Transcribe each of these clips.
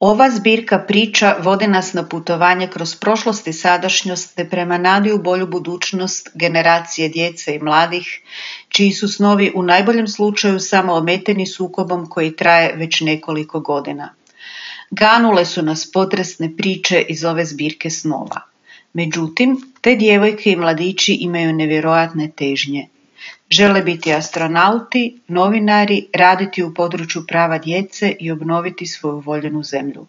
Ova zbirka priča vodi nas na putovanje kroz prošlost i sadašnjost te prema nadi u bolju budućnost generacije djece i mladih, čiji su snovi u najboljem slučaju samo ometeni sukobom koji traje već nekoliko godina. Ganule su nas potresne priče iz ove zbirke snova. Međutim, te djevojke i mladići imaju nevjerojatne težnje. Žele biti astronauti, novinari, raditi u području prava djece i obnoviti svoju voljenu zemlju.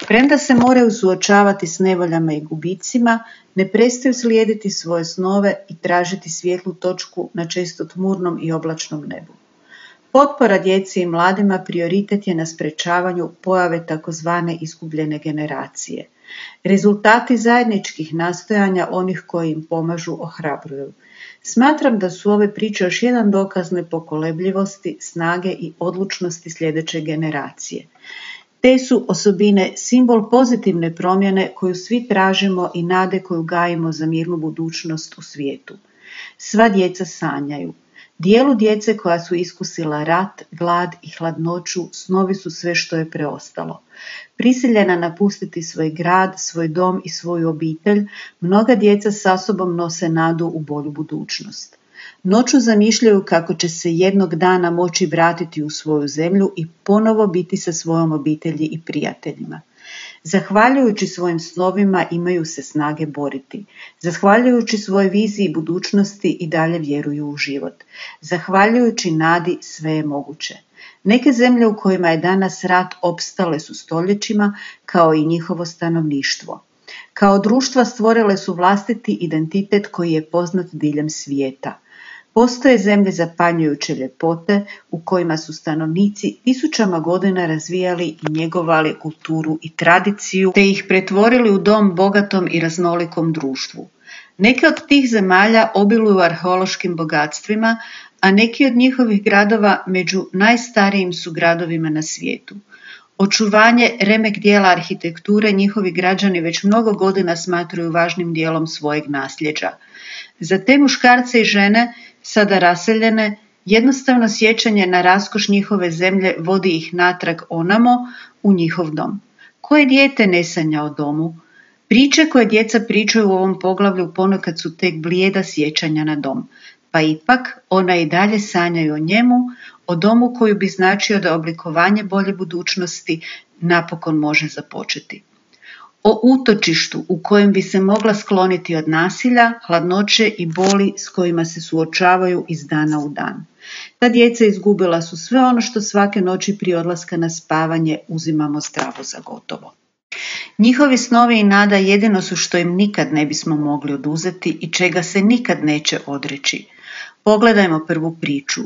Premda se moraju suočavati s nevoljama i gubicima, ne prestaju slijediti svoje snove i tražiti svjetlu točku na često tmurnom i oblačnom nebu. Potpora djeci i mladima prioritet je na sprečavanju pojave takozvane izgubljene generacije. Rezultati zajedničkih nastojanja onih koji im pomažu ohrabruju. Smatram da su ove priče još jedan dokaz nepokolebljivosti, snage i odlučnosti sljedeće generacije. Te su osobine simbol pozitivne promjene koju svi tražimo i nade koju gajimo za mirnu budućnost u svijetu. Sva djeca sanjaju. Dijelu djece koja su iskusila rat, glad i hladnoću, snovi su sve što je preostalo. Prisiljena napustiti svoj grad, svoj dom i svoju obitelj, mnoga djeca sa sobom nose nadu u bolju budućnost. Noću zamišljaju kako će se jednog dana moći vratiti u svoju zemlju i ponovo biti sa svojom obitelji i prijateljima. Zahvaljujući svojim snovima imaju se snage boriti. Zahvaljujući svojoj viziji budućnosti i dalje vjeruju u život. Zahvaljujući nadi sve je moguće. Neke zemlje u kojima je danas rat opstale su stoljećima, kao i njihovo stanovništvo. Kao društva stvorile su vlastiti identitet koji je poznat diljem svijeta. Postoje zemlje zapanjujuće ljepote u kojima su stanovnici tisućama godina razvijali i njegovali kulturu i tradiciju, te ih pretvorili u dom bogatom i raznolikom društvu. Neke od tih zemalja obiluju arheološkim bogatstvima, a neki od njihovih gradova među najstarijim su gradovima na svijetu. Očuvanje remek dijela arhitekture njihovi građani već mnogo godina smatraju važnim dijelom svojeg nasljeđa. Za te muškarce i žene, sada raseljene, jednostavno sjećanje na raskoš njihove zemlje vodi ih natrag onamo u njihov dom. Koje dijete ne sanja o domu? Priče koje djeca pričaju u ovom poglavlju ponekad su tek blijeda sjećanja na dom, pa ipak ona i dalje sanjaju o njemu, o domu koju bi značio da oblikovanje bolje budućnosti napokon može započeti. O utočištu u kojem bi se mogla skloniti od nasilja, hladnoće i boli s kojima se suočavaju iz dana u dan. Ta djeca izgubila su sve ono što svake noći prije odlaska na spavanje uzimamo zdravo za gotovo. Njihovi snovi i nada jedino su što im nikad ne bismo mogli oduzeti i čega se nikad neće odreći. Pogledajmo prvu priču.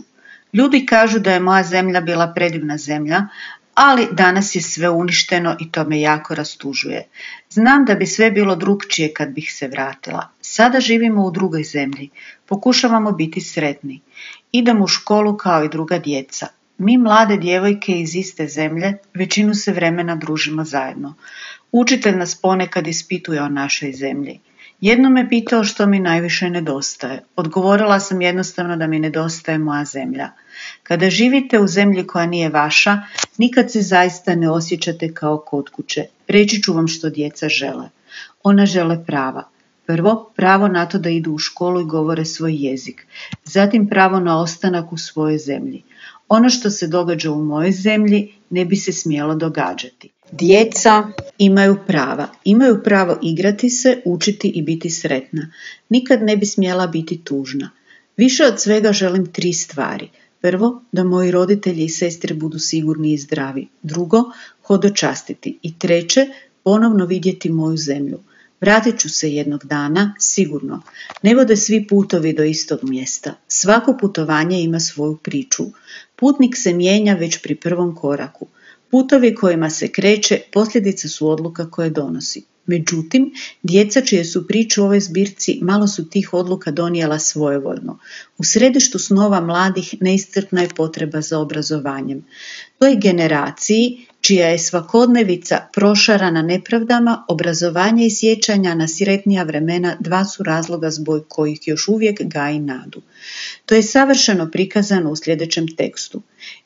Ljudi kažu da je moja zemlja bila predivna zemlja, ali danas je sve uništeno i to me jako rastužuje. Znam da bi sve bilo drukčije kad bih se vratila. Sada živimo u drugoj zemlji. Pokušavamo biti sretni. Idemo u školu kao i druga djeca. Mi mlade djevojke iz iste zemlje većinu se vremena družimo zajedno. Učitelj nas ponekad ispituje o našoj zemlji. Jednom me pitao što mi najviše nedostaje. Odgovorila sam jednostavno da mi nedostaje moja zemlja. Kada živite u zemlji koja nije vaša, nikad se zaista ne osjećate kao kod kuće. Reći ću vam što djeca žele. Ona žele prava. Prvo, pravo na to da idu u školu i govore svoj jezik. Zatim pravo na ostanak u svojoj zemlji. Ono što se događa u mojoj zemlji ne bi se smjelo događati. Djeca imaju prava. Imaju pravo igrati se, učiti i biti sretna. Nikad ne bi smjela biti tužna. Više od svega želim 3 stvari. Prvo, da moji roditelji i sestre budu sigurni i zdravi. Drugo, hodočastiti. I treće, ponovno vidjeti moju zemlju. Vratit ću se jednog dana, sigurno. Ne vode svi putovi do istog mjesta. Svako putovanje ima svoju priču. Putnik se mijenja već pri prvom koraku. Putovi kojima se kreće posljedice su odluka koje donosi. Međutim, djeca čije su priče u ovoj zbirci malo su tih odluka donijela svojevoljno. U središtu snova mladih neiscrpna je potreba za obrazovanjem. Toj generaciji čija je svakodnevica prošarana nepravdama, obrazovanje i sjećanja na sretnija vremena dva su razloga zbog kojih još uvijek gaji nadu. To je savršeno prikazano u sljedećem tekstu.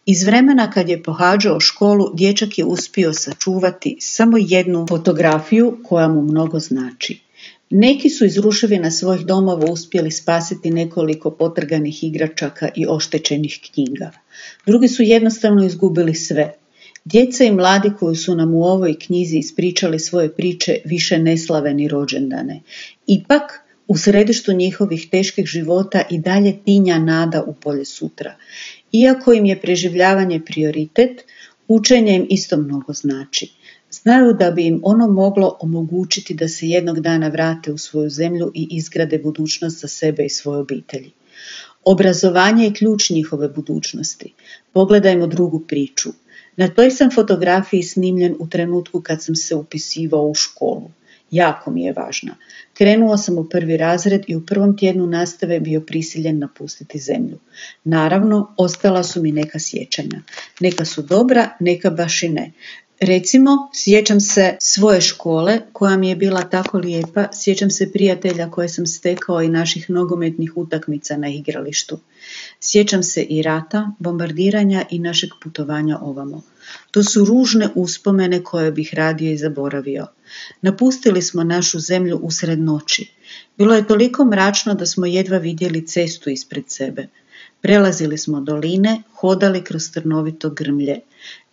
Iz vremena kad je pohađao školu, dječak je uspio sačuvati samo jednu fotografiju koja mu mnogo znači. Neki su iz ruševina svojih domova uspjeli spasiti nekoliko potrganih igračaka i oštećenih knjiga. Drugi su jednostavno izgubili sve. Djeca i mladi koji su nam u ovoj knjizi ispričali svoje priče više ne slave ni rođendane. Ipak, u središtu njihovih teških života i dalje tinja nada u bolje sutra. Iako im je preživljavanje prioritet, učenje im isto mnogo znači. Znaju da bi im ono moglo omogućiti da se jednog dana vrate u svoju zemlju i izgrade budućnost za sebe i svoje obitelji. Obrazovanje je ključ njihove budućnosti. Pogledajmo drugu priču. Na toj sam fotografiji snimljen u trenutku kad sam se upisivao u školu. Jako mi je važna. Krenuo sam u 1. razred i u prvom tjednu nastave bio prisiljen napustiti zemlju. Naravno, ostala su mi neka sjećanja. Neka su dobra, neka baš i ne. Recimo, sjećam se svoje škole koja mi je bila tako lijepa, sjećam se prijatelja koje sam stekao i naših nogometnih utakmica na igralištu. Sjećam se i rata, bombardiranja i našeg putovanja ovamo. To su ružne uspomene koje bih radije i zaboravio. Napustili smo našu zemlju usred noći. Bilo je toliko mračno da smo jedva vidjeli cestu ispred sebe. Prelazili smo doline, hodali kroz trnovito grmlje.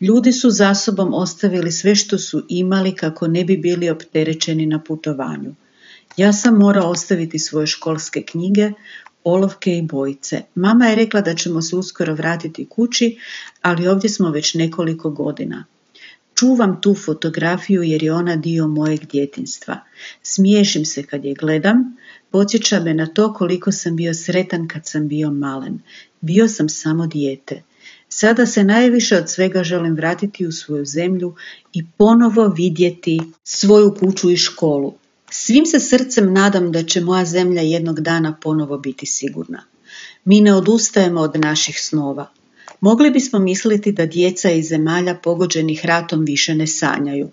Ljudi su za sobom ostavili sve što su imali kako ne bi bili opterećeni na putovanju. Ja sam morao ostaviti svoje školske knjige, olovke i bojice. Mama je rekla da ćemo se uskoro vratiti kući, ali ovdje smo već nekoliko godina. Čuvam tu fotografiju jer je ona dio mojeg djetinjstva. Smiješim se kad je gledam, podsjeća me na to koliko sam bio sretan kad sam bio malen. Bio sam samo dijete. Sada se najviše od svega želim vratiti u svoju zemlju i ponovo vidjeti svoju kuću i školu. Svim se srcem nadam da će moja zemlja jednog dana ponovo biti sigurna. Mi ne odustajemo od naših snova. Mogli bismo misliti da djeca iz zemalja pogođenih ratom više ne sanjaju.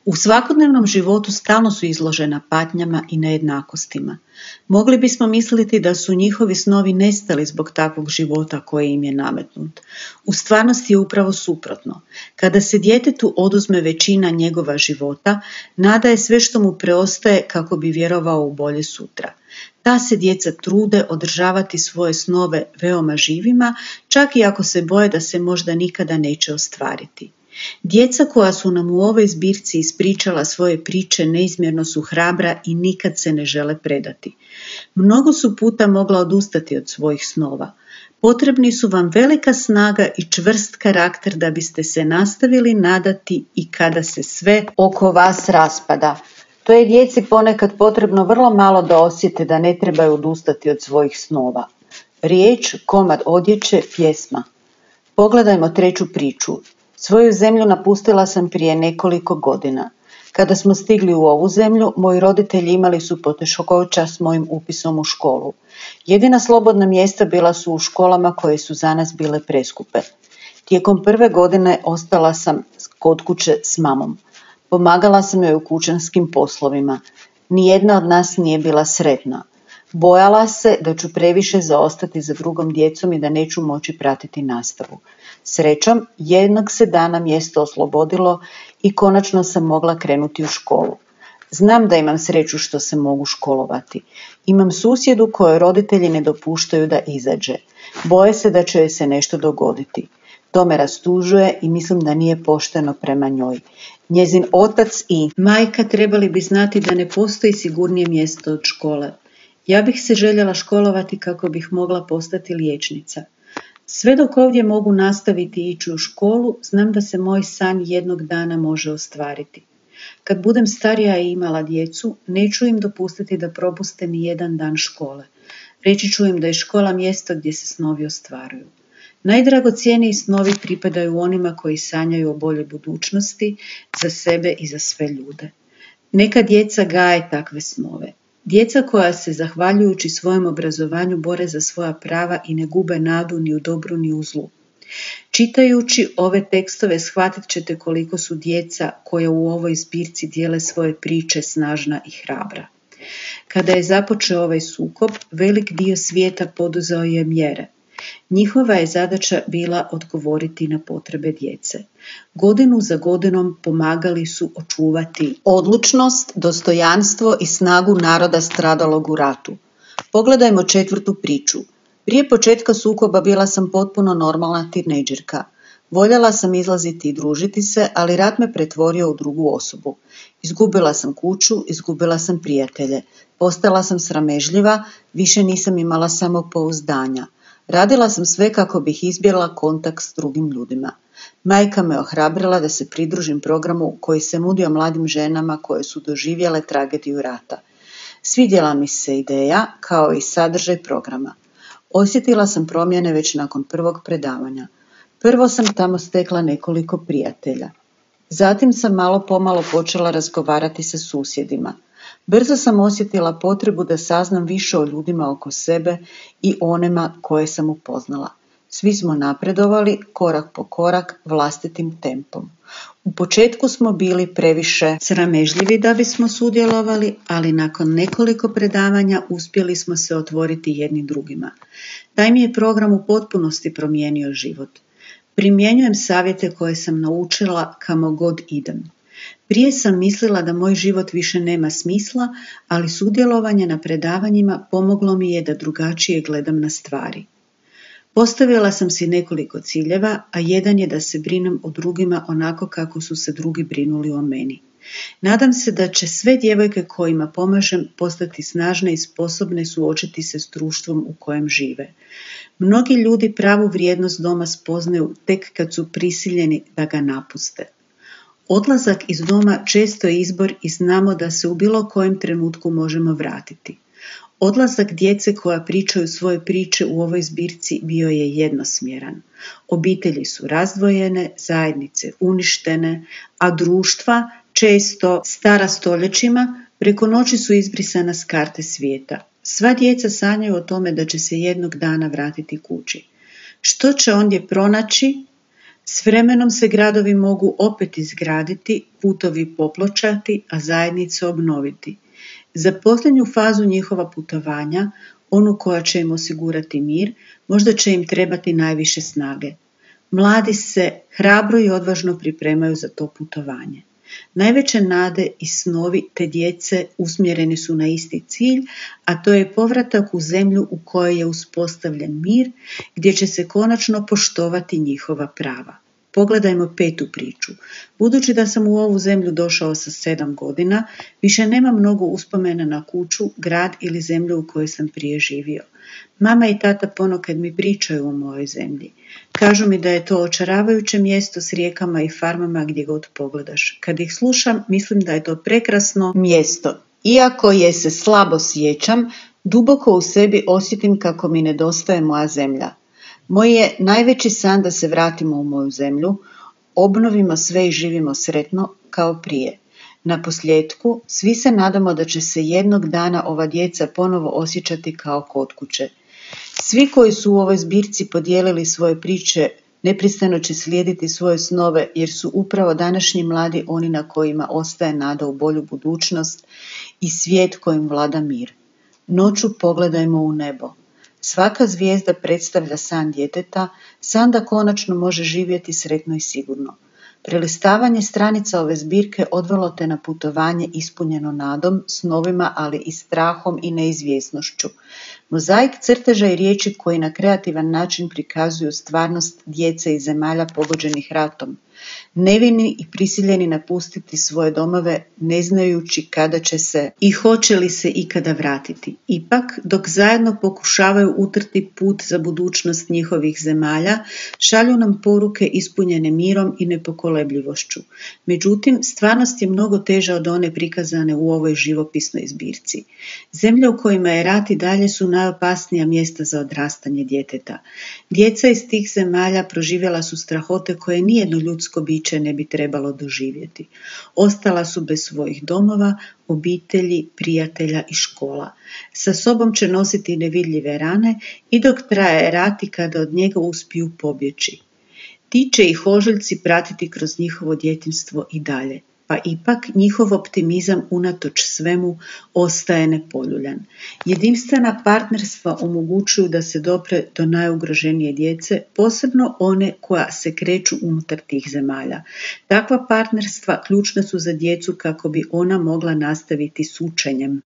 U svakodnevnom životu stalno su izložena patnjama i nejednakostima. Mogli bismo misliti da su njihovi snovi nestali zbog takvog života koji im je nametnut. U stvarnosti je upravo suprotno. Kada se djetetu oduzme većina njegova života, nada je sve što mu preostaje kako bi vjerovao u bolje sutra. Ta se djeca trude održavati svoje snove veoma živima, čak i ako se boje da se možda nikada neće ostvariti. Djeca koja su nam u ovoj zbirci ispričala svoje priče neizmjerno su hrabra i nikad se ne žele predati. Mnogo su puta mogla odustati od svojih snova. Potrebni su vam velika snaga i čvrst karakter da biste se nastavili nadati i kada se sve oko vas raspada. To je djeci ponekad potrebno vrlo malo da osjete da ne trebaju odustati od svojih snova. Riječ, komad odjeće, pjesma. Pogledajmo treću priču. Svoju zemlju napustila sam prije nekoliko godina. Kada smo stigli u ovu zemlju, moji roditelji imali su poteškoća s mojim upisom u školu. Jedina slobodna mjesta bila su u školama koje su za nas bile preskupe. Tijekom 1. godine ostala sam kod kuće s mamom. Pomagala sam joj u kućanskim poslovima. Nijedna od nas nije bila sretna. Bojala se da ću previše zaostati za drugom djecom i da neću moći pratiti nastavu. Srećom, jednog se dana mjesto oslobodilo i konačno sam mogla krenuti u školu. Znam da imam sreću što se mogu školovati. Imam susjedu kojoj roditelji ne dopuštaju da izađe. Boje se da će joj se nešto dogoditi. To me rastužuje i mislim da nije pošteno prema njoj. Njezin otac i majka trebali bi znati da ne postoji sigurnije mjesto od škole. Ja bih se željela školovati kako bih mogla postati liječnica. Sve dok ovdje mogu nastaviti ići u školu, znam da se moj san jednog dana može ostvariti. Kad budem starija i imala djecu, neću im dopustiti da propuste ni jedan dan škole. Reći ću im da je škola mjesto gdje se snovi ostvaruju. Najdragocjeniji snovi pripadaju onima koji sanjaju o boljoj budućnosti za sebe i za sve ljude. Neka djeca gaje takve snove. Djeca koja se, zahvaljujući svojem obrazovanju, bore za svoja prava i ne gube nadu ni u dobru ni u zlu. Čitajući ove tekstove shvatit ćete koliko su djeca koja u ovoj zbirci dijele svoje priče snažna i hrabra. Kada je započeo ovaj sukob, velik dio svijeta poduzeo je mjere. Njihova je zadaća bila odgovoriti na potrebe djece. Godinu za godinom pomagali su očuvati odlučnost, dostojanstvo i snagu naroda stradalog u ratu. Pogledajmo 4. priču. Prije početka sukoba bila sam potpuno normalna tinejdžerka. Voljela sam izlaziti i družiti se, ali rat me pretvorio u drugu osobu. Izgubila sam kuću, izgubila sam prijatelje. Postala sam sramežljiva, više nisam imala samopouzdanja. Radila sam sve kako bih izbjegla kontakt s drugim ljudima. Majka me ohrabrila da se pridružim programu koji se nudio mladim ženama koje su doživjele tragediju rata. Svidjela mi se ideja kao i sadržaj programa. Osjetila sam promjene već nakon prvog predavanja. Prvo sam tamo stekla nekoliko prijatelja. Zatim sam malo pomalo počela razgovarati sa susjedima. Brzo sam osjetila potrebu da saznam više o ljudima oko sebe i onima koje sam upoznala. Svi smo napredovali korak po korak vlastitim tempom. U početku smo bili previše sramežljivi da bismo sudjelovali, ali nakon nekoliko predavanja uspjeli smo se otvoriti jedni drugima. Taj mi je program u potpunosti promijenio život. Primjenjujem savjete koje sam naučila kamo god idem. Prije sam mislila da moj život više nema smisla, ali sudjelovanje na predavanjima pomoglo mi je da drugačije gledam na stvari. Postavila sam si nekoliko ciljeva, a jedan je da se brinem o drugima onako kako su se drugi brinuli o meni. Nadam se da će sve djevojke kojima pomažem postati snažne i sposobne suočiti se s društvom u kojem žive. Mnogi ljudi pravu vrijednost doma spoznaju tek kad su prisiljeni da ga napuste. Odlazak iz doma često je izbor i znamo da se u bilo kojem trenutku možemo vratiti. Odlazak djece koja pričaju svoje priče u ovoj zbirci bio je jednosmjeran. Obitelji su razdvojene, zajednice uništene, a društva, često stara stoljećima, preko noći su izbrisana s karte svijeta. Sva djeca sanjaju o tome da će se jednog dana vratiti kući. Što će ondje pronaći? S vremenom se gradovi mogu opet izgraditi, putovi popločati, a zajednice obnoviti. Za posljednju fazu njihova putovanja, onu koja će im osigurati mir, možda će im trebati najviše snage. Mladi se hrabro i odvažno pripremaju za to putovanje. Najveće nade i snovi te djece usmjereni su na isti cilj, a to je povratak u zemlju u kojoj je uspostavljen mir, gdje će se konačno poštovati njihova prava. Pogledajmo 5. priču. Budući da sam u ovu zemlju došao sa 7 godina, više nema mnogo uspomena na kuću, grad ili zemlju u kojoj sam prije živio. Mama i tata ponekad mi pričaju o mojoj zemlji. Kažu mi da je to očaravajuće mjesto s rijekama i farmama gdje god pogledaš. Kad ih slušam, mislim da je to prekrasno mjesto. Iako je se slabo sjećam, duboko u sebi osjetim kako mi nedostaje moja zemlja. Moj je najveći san da se vratimo u moju zemlju, obnovimo sve i živimo sretno kao prije. Na posljetku, svi se nadamo da će se jednog dana ova djeca ponovo osjećati kao kod kuće. Svi koji su u ovoj zbirci podijelili svoje priče, neprestano će slijediti svoje snove, jer su upravo današnji mladi oni na kojima ostaje nada u bolju budućnost i svijet kojim vlada mir. Noću pogledajmo u nebo. Svaka zvijezda predstavlja san djeteta, san da konačno može živjeti sretno i sigurno. Prelistavanje stranica ove zbirke odvelo te na putovanje ispunjeno nadom, snovima, ali i strahom i neizvjesnošću. Mozaik crteža i riječi koji na kreativan način prikazuju stvarnost djece iz zemalja pogođenih ratom. Nevini i prisiljeni napustiti svoje domove, ne znajući kada će se i hoće li se ikada vratiti. Ipak, dok zajedno pokušavaju utrti put za budućnost njihovih zemalja, šalju nam poruke ispunjene mirom i nepokolebljivošću. Međutim, stvarnost je mnogo teža od one prikazane u ovoj živopisnoj zbirci. Zemlje u kojima je rat i dalje su najopasnija mjesta za odrastanje djeteta. Djeca iz tih zemalja proživjela su strahote koje nijedno ljudsko biće ne bi trebalo doživjeti. Ostala su bez svojih domova, obitelji, prijatelja i škola. Sa sobom će nositi nevidljive rane i dok traje rat i kada od njega uspiju pobjeći. Ti će ih ožiljci pratiti kroz njihovo djetinjstvo i dalje, pa ipak njihov optimizam unatoč svemu ostaje nepoljuljan. Jedinstvena partnerstva omogućuju da se dopre do najugroženije djece, posebno one koja se kreću unutar tih zemalja. Takva partnerstva ključna su za djecu kako bi ona mogla nastaviti s učenjem.